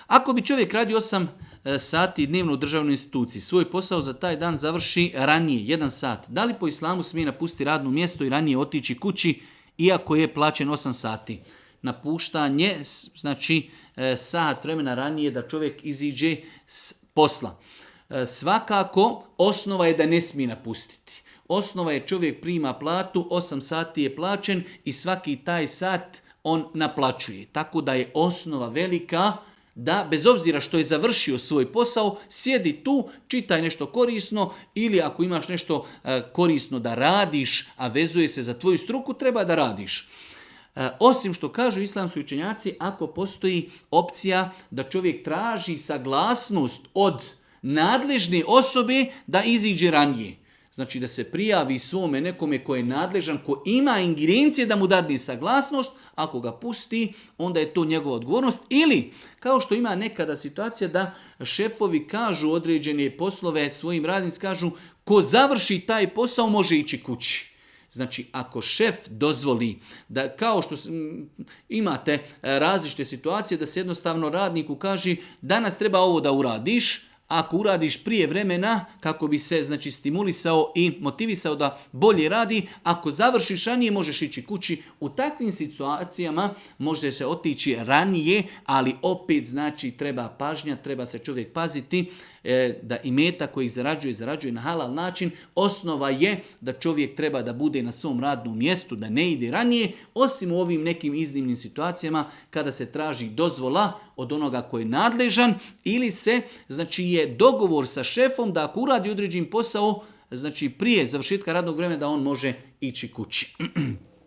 Ako bi čovjek radio 8 sati dnevno u državnoj instituciji, svoj posao za taj dan završi ranije, 1 sat, da li po islamu smije napustiti radno mjesto i ranije otići kući, iako je plaćen 8 sati? Napuštanje, znači sat vremena ranije da čovjek iziđe s posla. Svakako, osnova je da ne smije napustiti. Osnova je čovjek prima platu, 8 sati je plaćen i svaki taj sat on naplaćuje. Tako da je osnova velika da bez obzira što je završio svoj posao, sjedi tu, čitaj nešto korisno ili ako imaš nešto korisno da radiš, a vezuje se za tvoju struku, treba da radiš. Osim što kažu islamski učenjaci, ako postoji opcija da čovjek traži saglasnost od nadležne osobe da iziđe ranije. Znači da se prijavi svome nekome ko je nadležan, ko ima ingerencije da mu dadne saglasnost, ako ga pusti, onda je to njegova odgovornost. Ili, kao što ima nekada situacija da šefovi kažu određene poslove svojim radnicima, kažu ko završi taj posao može ići kući. Znači, ako šef dozvoli da, kao što imate različite situacije, da se jednostavno radniku kaže danas treba ovo da uradiš, ako uradiš prije vremena, kako bi se znači stimulisao i motivisao da bolje radi, ako završiš ranije možeš ići kući. U takvim situacijama može se otići ranije, ali opet znači treba pažnja, treba se čovjek paziti da imetak koji zarađuje na halal način. Osnova je da čovjek treba da bude na svom radnom mjestu, da ne ide ranije, osim u ovim nekim iznimnim situacijama kada se traži dozvola od onoga koji je nadležan ili se znači je dogovor sa šefom da ako uradi određen posao, znači prije završetka radnog vremena da on može ići kući.